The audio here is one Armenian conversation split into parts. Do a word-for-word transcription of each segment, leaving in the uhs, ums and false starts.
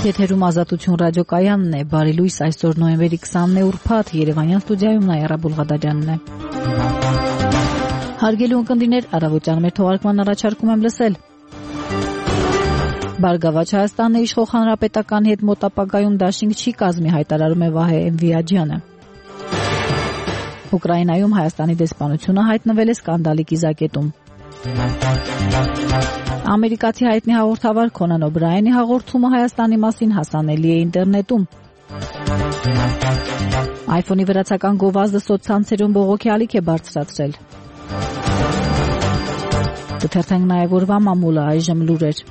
Եթերում Ազատություն ռադիոկայանն է, բարի լույս, այսօր նոյեմբերի քսանինը ուրբաթ, Երևանյան ստուդիայում Նաիրա Բուլղադարյանն է։ Հարգելի ունկնդիրներ, առավոտյան մեր թողարկման առաջարկում եմ լսել. Բարգավաճ Հայաստանը իշխող հանրապետականի հետ մոտ ապագայում դաշինք չի կազմի, հայտարարում է Վահե Էմվիաջյանը։ Ուկրաինայում Հայաստանի դեսպանությունը հայտնվել է սկանդալի կիզակետում։ Ամերիկացի հայտնի հաղորդավար Քոնան Օբրայենի հաղորդումը Հայաստանի մասին հասանելի է ինտերնետում։ iPhone-ի վրացական գովազդը սոցցանցերում բողոքի ալիք է բարձրացրել։ Կթերթենք նաև օրվա մամուլը, այժմ լուրեր։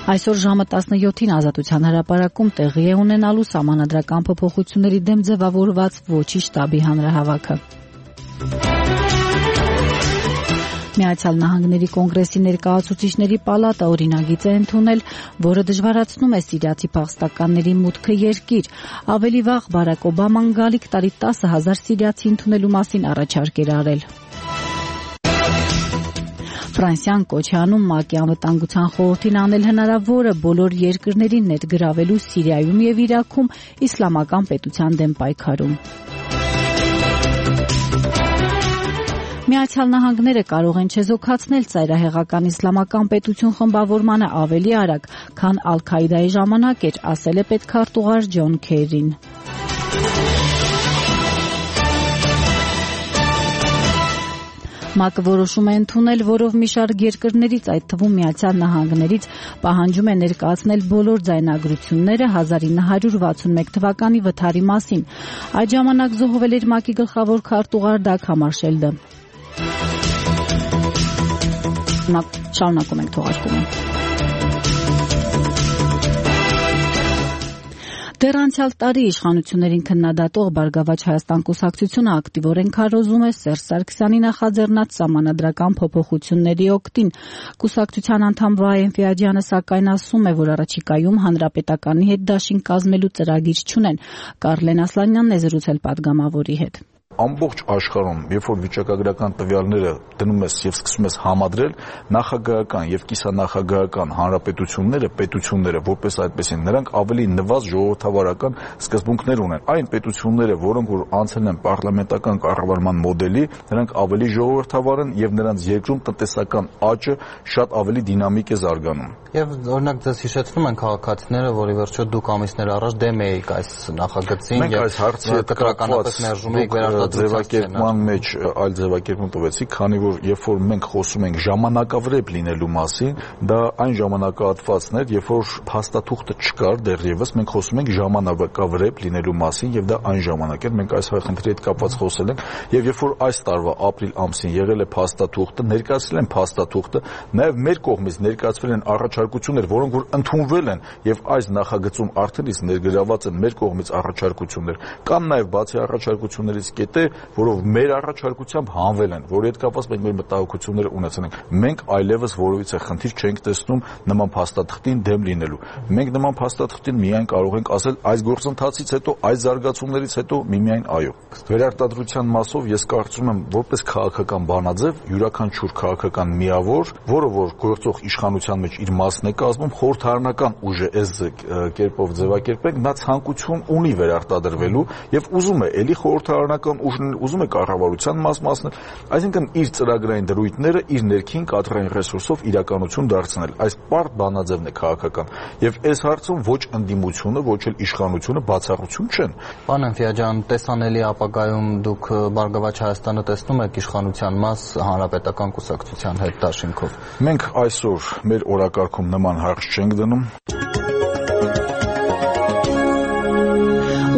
Այսօր ժամը տասնյոթին Ազատության հրապարակում տեղի է ունենալու սահմանադրական փոփոխությունների դեմ ձևավորված ոչի շտաբի հանրահավաքը։ Միացյալ Նահանգների կոնգրեսի ներկայացուցիչների պալատը օրինագիծ է ընդունել, որը դժվարացնում է սիրիացի փախստականների մուտքը երկիր։ Ավելի վաղ Բարակ Օբաման գալիք տարի տասը հազար սիրիացի ընդունելու մասին առաջարկ էր արել։ Ֆրանսիան կոչ է անում ՄԱԿ-ի անվտանգության խորհրդին անել հնարավորը բոլոր երկրներին ներգրավելու Սիրիայում և Իրաքում իսլամական պետության դեմ պայքարում։ Միացյալ Նահանգները կարող են չեզոքացնել ծայրահեղական իսլամական պետություն խմբավորմանը ավելի արագ, քան Ալ-Քայդայի ժամանակ էր, ասել է պետքարտուղար Ջոն Քերին։ ՄԱԿ-ը որոշում է ընդունել, որով մի շարք երկրներից, այդ թվում Միացյալ Նահանգներից, պահանջում է ներկայացնել բոլոր ձայնագրությունները հազար ինը հարյուր վաթսունմեկ թվականի վթարի մասին։ Այդ ժամանակ զոհվել էր ՄԱԿ-ի գլխավոր քարտուղար Դագ Համարշելդը։ Շարունակում ենք թողարկումը։ Դեռ անցյալ տարի իշխանություններին քննադատող Բարգավաճ Հայաստան կուսակցությունը ակտիվորեն քարոզում է Սերժ Սարգսյանի նախաձեռնած սահմանադրական փոփոխությունների օգտին։ Կուսակցության անդամ Վահե Էմվիաջյանը սակայն ասում է, որ առաջիկայում հանրապետականի հետ դաշինք կազմելու ծրագիր չունեն։ Կարլեն Ասլանյանն է զրուցել պատգամավորի հետ։ Ամբողջ աշխարհում, երբ որ վիճակագրական տվյալները դնում ես եւ սկսում ես համադրել, նախագահական եւ կիսանախագահական հանրապետությունները, պետությունները, որպես այդպեսին, նրանք ավելի նվազ ժողովրդավարական սկզբունքներ ունեն։ Այն պետությունները, որոնք որ անցել են պարլամենտական կառավարման մոդելի, նրանք ավելի ժողովրդավար են եւ նրանց երկրում տնտեսական աճը շատ ավելի դինամիկ է զարգանում։ Եվ օրինակ ձեզ հիշեցնում են քաղաքացիները, որի վերջո դուք ամիսներ առաջ դեմ էիք այս նախագծին եւ այս հարցը կտրականապես մերժում եք ձևակերպման մեջ այլ ձևակերպում տվեցիք, քանի որ երբ որ մենք խոսում ենք ժամանակավրեպ լինելու մասին, դա այն ժամանակահատվածն էր, երբ որ փաստաթուղթը չկար դեռևս, մենք խոսում ենք ժամանակավրեպ լինելու մասին եւ դա այն ժամանակ էր, մենք այս խնդրի հետ կապված խոսել ենք եւ երբ որ այս տարվա ապրիլ ամսին եղել է փաստաթուղթը, ներկայացրել են փաստաթուղթը, նաեւ մեր կողմից ներկայացվել են առաջարկություններ, որոնք որ ընդունվել են եւ այս նախագծում արդեն իսկ ներգրաված են մեր կողմից առաջարկություններ։ Կան նաեւ բացի առաջարկություններից կետեր, որով մեր առաջարկությամբ հանվել են, որի հետ կապված մենք մեր մտահոգությունները ունեցել ենք։ Մենք այլևս որևիցե խնդիր չենք տեսնում նման փաստաթղթին դեմ լինելու։ Մենք նման փաստաթղթին միայն կարող ենք ասել այս գործընթացից հետո, այս զարգացումներից հետո միմիայն այո։ Վերարտադրության մասով ես կարծում եմ, որպես քաղաքական բանաձև, յուրաքանչյուր քաղաքական միավոր, որը որ գործող իշխանության մեջ իր մասն է կազմում, խորհրդարանական ուժ է այս կերպով ձևակերպենք, նա ցանկություն ունի վերարտադրվելու եւ ուզում է էլի խորհրդարանական ուժն ուզում է կառավարության մաս մասնել, այսինքն իր ծրագրային դրույթները իր ներքին կադրային ռեսուրսով իրականություն դարձնել։ Այս պարտ բանաձևն է քաղաքական եւ այս հարցում ոչ ընդդիմությունը, ոչ էլ իշխանությունը բացառություն չեն։ Պարոն Էմվիաջյան, տեսանելի ապագայում դուք Բարգավաճ Հայաստանը տեսնում եք իշխանության մաս հանրապետական կուսակցության հետ դաշինքով։ Մենք այսօր մեր օրակարգում նման հարց չենք դնում։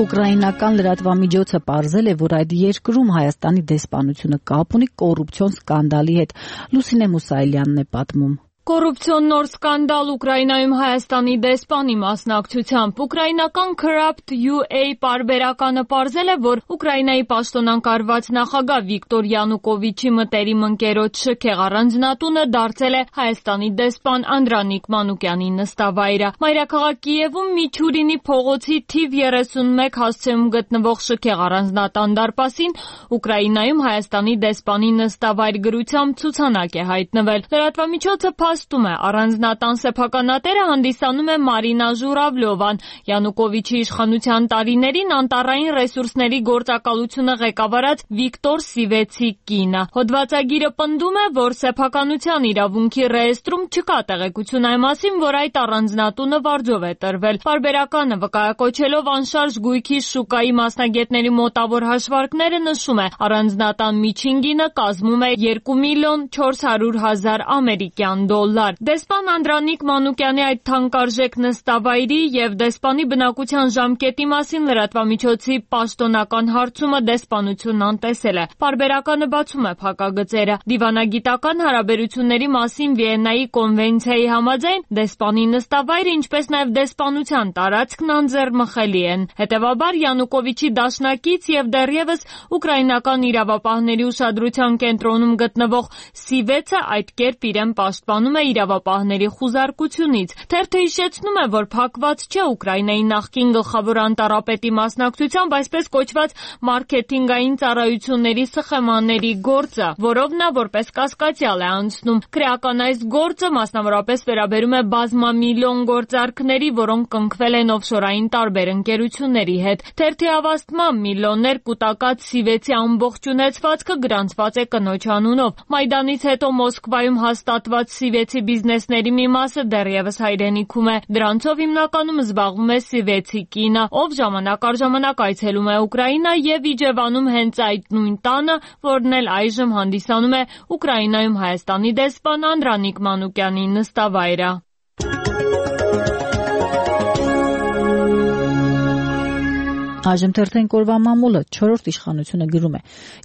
Ուկրաինական լրատվամիջոցը պարզել է, որ այդ երկրում Հայաստանի դեսպանությունը կապ ունի կոռուպցիոն սկանդալի հետ։ Լուսինե Մուսայելյանն է պատմում։ Կոռուպցիոն նոր սկանդալ Ուկրաինայում Հայաստանի դեսպանի մասնակցությամբ ուկրաինական Corrupt յու էյ պարբերականը պարզել է, որ Ուկրաինայի պաշտոնակարված նախագահ Վիկտոր Յանուկովիչի մտերիմ ընկերոջ շքեղ առանձնատունը դարձել է Հայաստանի դեսպան Անդրանիկ Մանուկյանի նստավայրը։ Մայրաքաղաք Կիևում Միչուրինի փողոցի թիվ երեսունմեկ հասցեում գտնվող շքեղ առանձնատան դարպասին Ուկրաինայում Հայաստանի դեսպանի նստավայր գրությամբ ցուցանակ է հայտնվել։ Լրատվամիջոցը փաստում է, առանձնատան սեփականատերը հանդիսանում է Մարինա Ժուրավլովան, Յանուկովիչի իշխանության տարիներին անտառային ռեսուրսների գործակալությունը ղեկավարած Վիկտոր Սիվեցի կինը։ Հոդվածագիրը պնդում է, որ սեփականության իրավունքի ռեեստրում չկա տեղեկություն այն մասին, որ այդ առանձնատունը վարձով է տրվել։ Պարբերականը վկայակոչելով անշարժ գույքի շուկայի մասնագետների մոտավոր հաշվարկները նշում է, առանձնատան միջին գինը կազմում է երկու միլիոն չորս հարյուր հազար ամերիկյան դոլար։ Դեսպան Անդրանիկ Մանուկյանի այդ թանկարժեք նստավայրի եւ դեսպանի բնակության ժամկետի մասին լրատվամիջոցի պաշտոնական հարցումը դեսպանությունն անտեսել է։ Պարբերականը բացում է փակագծերը։ Դիվանագիտական հարաբերությունների մասին Վիեննայի կոնվենցիայի համաձայն դեսպանի նստավայրը, ինչպես նաեւ դեսպանության տարածքն անձեռմխելի են։ Հետևաբար Յանուկովիչի դաշնակից եւ դեռևս ուկրաինական իրավապահների ուշադրության կենտրոնում գտնվող Սիվեցը այդ կերպ իրեն պաշտպանում է իրավապահների խուզարկությունից։ Թերթը հիշեցնում է, որ փակված չէ Ուկրաինայի նախկին գլխավոր անտառապետի մասնակցությամբ այսպես կոչված մարքեթինգային ծառայությունների սխեմաների գործը, որով նա որպես կասկածյալ է անցնում։ Քրեական այս գործը մասնավորապես վերաբերում է բազմամիլիոն գործարքների, որոնք կնքվել են օֆշորային տարբեր ընկերությունների հետ։ Թերթի հավաստմամբ միլիոններ կուտակած Սիվեցի ամբողջ ունեցվածքը գրանցված է կնոջ անունով։ Մայդանից հետո Մոսկվայում հաստատված Սիվեցի բիզնեսների մի մասը դեռևս հայրենիքում է։ Դրանցով հիմնականում զբաղվում է Սիվեցի կինը, ով ժամանակ առ ժամանակ այցելում է Ուկրաինա եւ իջևանում հենց այդ նույն տանը, որն էլ այժմ հանդիսանում է Ուկրաինայում Հայաստանի դեսպան Անդրանիկ Մանուկյանի նստավայրը։ Այժմ թերթենք օրվա մամուլը չորրորդ իշխանությունը գրում է.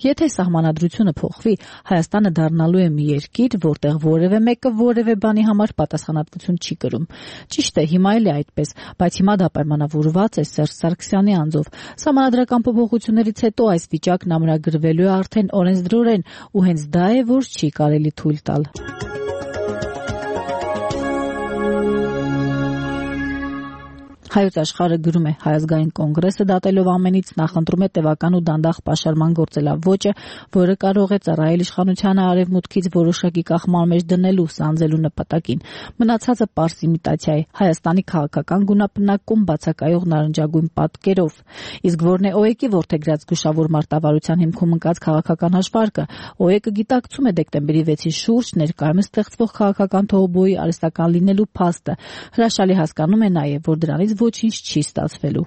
եթե սահմանադրությունը փոխվի, Հայաստանը դառնալու է մի երկիր, որտեղ որևէ մեկը որևէ բանի համար պատասխանատվություն չի կրում։ Ճիշտ է, հիմա էլ է այդպես, բայց հիմա դա պայմանավորված է Սերժ Սարգսյանի անձով։ Սահմանադրական փոփոխություններից հետո այս վիճակն ամրագրվելու է արդեն օրենսդրորեն, ու հենց դա է, որ չի կարելի թույլ տալ։ Հայոց աշխարհը գրում է. Հայ ազգային կոնգրեսը դատելով ամենից նախընտրում է տևական ու դանդաղ պաշարման գործելավոճը, որը կարող է ծառայել իշխանությանը արևմուտքից որոշակի կախման մեջ դնելու, սանձելու նպատակին։ Մնացածը պարզ իմիտացիա է, Հայաստանի քաղաքական գունապնակում բացակայող նարնջագույն պատկերով։ Իսկ որն է ՕԵԿ-ի որդեգրած զգուշավոր մարտավարության հիմքում ընկած քաղաքական հաշվարկը։ ՕԵԿ-ը գիտակցում է դեկտեմբերի վեցի շուրջ ներկայումս ստեղծվող քաղաքական թողոբոյի արհեստական լինելու փաստը։ Հրաշալի հասկանում է նաև, որ դրանից ոչինչ չի ստացվելու։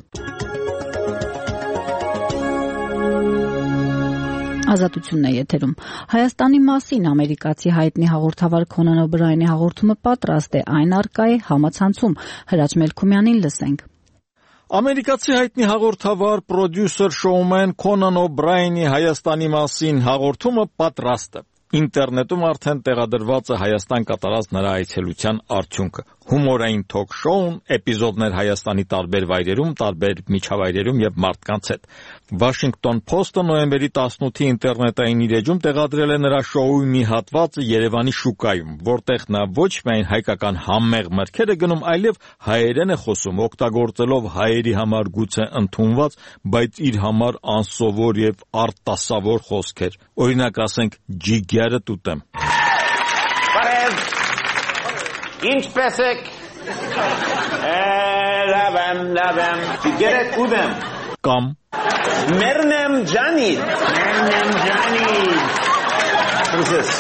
Ազատությունն է եթերում։ Հայաստանի մասին ամերիկացի հայտնի հաղորդավար Քոնան Օբրայանի հաղորդումը պատրաստ է, այն առկա է համացանցում։ Հրաչ Մելքումյանին լսենք։ Ամերիկացի հայտնի հաղորդավար, պրոդյուսեր, շոումեն Քոնան Օբրայանի Հայաստանի մասին հաղորդումը պատրաստ է։ Ինտերնետում արդեն տեղադրված է Հայաստան կատարած նրա այցելության արդյունքը։ Հումորային թոք շոուն, էպիզոդներ Հայաստանի տարբեր վայրերում, տարբեր միջավայրերում եւ մարդկանց հետ։ Washington Post-ը նոյեմբերի տասնութի ինտերնետային իր էջում տեղադրել է նրա շոուի մի հատվածը Երևանի շուկայում, որտեղ նա ոչ միայն հայկական համեղ մրգեր է գնում, այլև հայերեն է խոսում, օգտագործելով հայերի համար գուցե ընդունված, բայց իր համար անսովոր եւ արտասովոր խոսքեր։ Օրինակ ասենք ջիգերը տուտեմ։ Բարև։ Ինչպես եք։ Լավեմ, լավեմ։ Ջիգերը տուտեմ։ Կամ Մերնեմ ջանիդ։ Մերնեմ ջանիդ։ Պրոզես։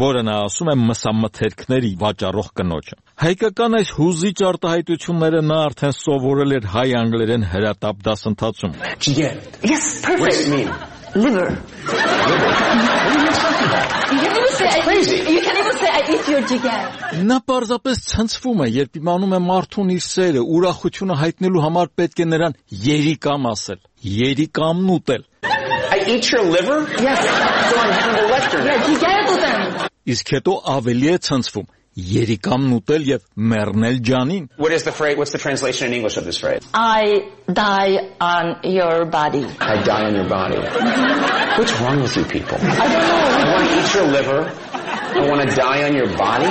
Որը նա ասում է մսամթերքների վաճառող կնոջը։ Հայկական այս հուզիչ արտահայտությունները նա արդեն սովորել էր հայ անգլերեն հրատապ դասընթացում։ Ջիգեր։ Yes, perfect. What does it mean? Liver. You can even say, crazy. You can even say, I eat your jigger. Նա պարզապես ցնցվում է, երբ իմանում է մարդուն իր սերը, ուրախությունը հայտնելու համար պետք է նրան երիկամ ասել, երիկամն ուտել։ I eat your liver? Yes. So I'm Hannibal Lecter. Yeah, jigger to them. Իսկ հետո ավելի է ցնցվում, երիկամն ուտել եւ մեռնել ջանին։ What is the phrase? What's the translation in English of this phrase? I die on your body. I die on your body. What's wrong with you people? I don't know. I want to eat your liver. I want to die on your body.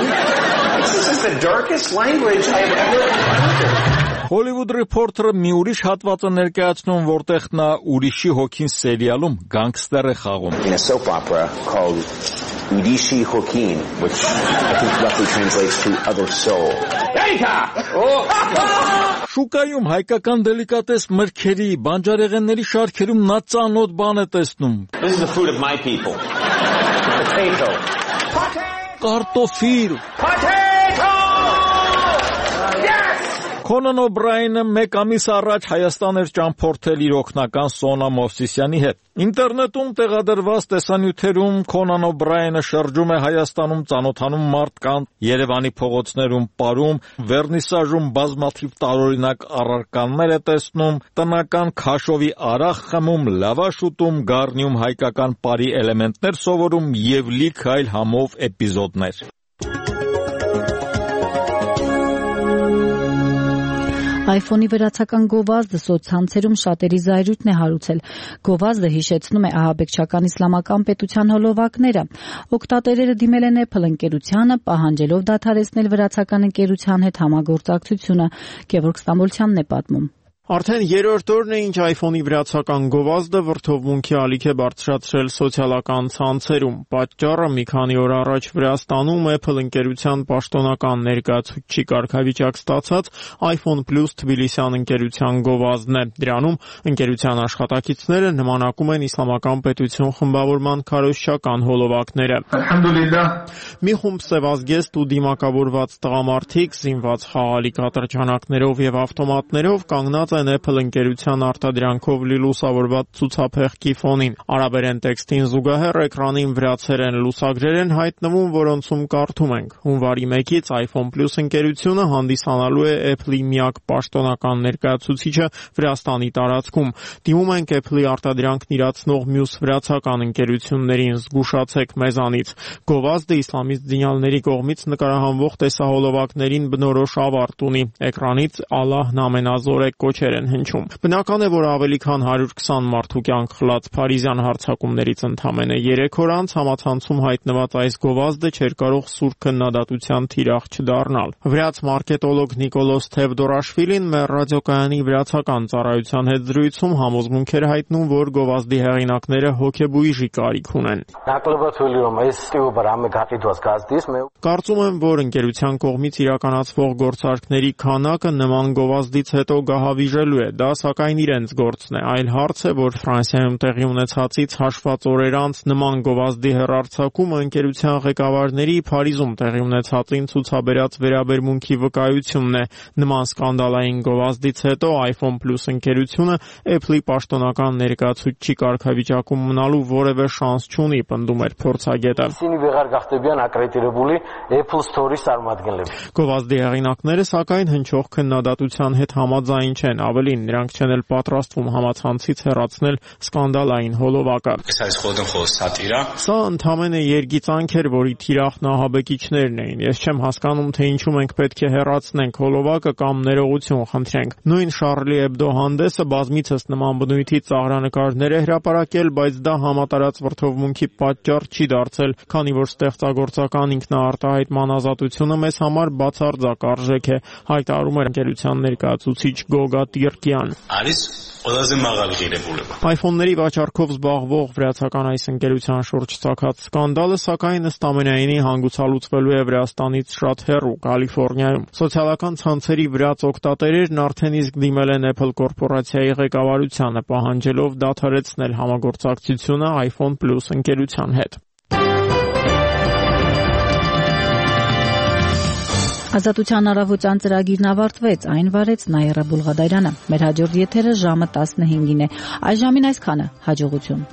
This is the darkest language I have ever encountered. Hollywood Reporter-ը մի ուրիշ հատված է ներկայացնում, որտեղ նա ուրիշի հոգին սերիալում գանգստեր է խաղում։ In a soap opera called Urishi Hokin, which I think roughly translates to other soul. Շուկայում հայկական դելիկատես մրգերի, բանջարեղենների շարքերում նա ծանոթ բան է տեսնում։ This is the food of my people. Potato. Կարտոֆիլ։ Potato! Yes! Քոնան Օբրայենը մեկ ամիս առաջ Հայաստան էր ճամփորդել իր օգնական Սոնա Մովսիսյանի հետ։ Ինտերնետում տեղադրված տեսանյութերում Քոնան Օբրայենը շրջում է Հայաստանում, ծանոթանում մարդկանց, Երևանի փողոցներում պարում, վերնիսաժում բազմաթիվ տարօրինակ առարկաներ է տեսնում, տնական քաշովի արախ խմում, լավաշ ուտում, գառնիում հայկական բարի էլեմենտներ սովորում եւ լիք այլ համով էպիզոդներ։ iPhone-ի վերացական գովազդը սոցցանցերում շատերի զայրույթն է հարուցել։ Գովազդը հիշեցնում է ահաբեկչական իսլամական պետության հոլովակները։ Օգտատերերը դիմել են Apple ընկերությանը, պահանջելով դադարեցնել վերացական ընկերության հետ համագործակցությունը։ Գևորգ Ստամբոլցյանն է պատմում։ Արդեն երրորդ օրն է, ինչ iPhone-ի վրացական գովազդը վրդովմունքի ալիք է բարձրացրել սոցիալական ցանցերում։ Պատճառը մի քանի օր առաջ Վրաստանում Apple ընկերության պաշտոնական ներկայացուցիչի կարգավիճակ ստացած iPhone Plus Թբիլիսյան ընկերության գովազդն է։ Դրանում ընկերության աշխատակիցները նմանակում են իսլամական պետություն խմբավորման քարոզչական հոլովակները։ Ալհամդուլիլլահ։ Մի խումբ սևազգեստ ու դիմակավորված տղամարդիկ զինված խաղալիք ատրճանակներով եւ ավտոմատներով կանգնած են Apple ընկերության արտադրանքով լուսավորված ցուցափեղկի ֆոնին։ Արաբերեն տեքստին զուգահեռ էկրանին վրացերեն լուսագրեր են հայտնվում, որոնցում կարդում ենք. Հունվարի մեկից iPhone Plus ընկերությունը հանդիսանալու է Apple-ի միակ պաշտոնական ներկայացուցիչը Վրաստանի տարածքում։ Դիմում ենք Apple-ի արտադրանքն իրացնող մյուս վրացական ընկերություններին, զգուշացեք մեզանից։ Գովազդը իսլամիստ զինյալների կողմից նկարահանվող տեսահոլովակներին բնորոշ ավարտ ունի։ Էկրանից Ալլահն ամենազոր է կոչեր են հնչում։ Բնական է, որ ավելի քան հարյուր քսան մարդու կյանք խլած Փարիզյան հարձակումներից ընդամենը երեք օր անց համացանցում հայտնված այս գովազդը չէր կարող սուր քննադատության թիրախ չդառնալ։ Վրաց մարքետոլոգ Նիկոլոս Թևդորաշվիլին մեր ռադիոկայանի վրացական ծառայության հետ զրույցում համոզմունք էր հայտնում, որ գովազդի հեղինակները հոգեբույժի կարիք ունեն։ Կարծում եմ, որ ընկերության կողմից իրականացվող գործարքների քանակը նման գովազդից հետո գահավիժելու է, դա սակայն իրենց գործն է։ Այլ հարց է, որ Ֆրանսիայում տեղի ունեցածից հաշված օրեր անց նման գովազդի հեռարձակումը ընկերության ղեկավարների Փարիզում տեղի ունեցածին ցուցաբերած վերաբերմունքի վկայությունն է։ Նման սկանդալային գովազդից հետո iPhone Plus ընկերությունը Apple-ի պաշտոնական ներկայացուցիչի կարգավիճակում մնալու որևէ շանս չունի, պնդում էր փորձագետը։ Գովազդի հեղինակները սակայն հնչող քննադատության հետ համաձայն չեն, ավելին նրանք չեն էլ պատրաստվում համացանցից հեռացնել սկանդալային հոլովակը։ Սա ընդամենը երգիծանք էր, որի թիրախն ահաբեկիչներն էին։ Ես չեմ հասկանում, թե ինչու մենք պետք է հեռացնենք հոլովակը կամ ներողություն խնդրենք։ Նույն Charlie Hebdo հանդեսը բազմիցս նման բնույթի ծաղրանկարներ է հրապարակել, բայց դա համատարած վրդովմունքի պատճառ չի դարձել, քանի որ ստեղծագործական ինքնաարտահայտման ազատությունը մեզ համար բացարձակ արժեք է, հայտարարում էր ընկերության ներկայացուցիչ Գոգա Տիրկյան։ iPhone-ների վաճառքով զբաղվող վրացական այս ընկերության շուրջ ցակած սկանդալը սակայն ըստ ամենայնի հանգուցալուծվելու է Վրաստանից շատ հեռու Կալիֆոռնիայում։ Սոցիալական ցանցերի վրաց օգտատերերն արդեն իսկ դիմել են Apple կորպորացիայի ղեկավարությանը, պահանջելով դադարեցնել համագործակցությունը iPhone Plus ընկերության հետ։ Ազատության առավոտյան ծրագիրն ավարտվեց, այն վարեց Նայիրա Բուլղադարյանը։ Մեր հաջորդ եթերը ժամը տասնհինգին է։ Այս ժամին այսքանը, հաջողություն։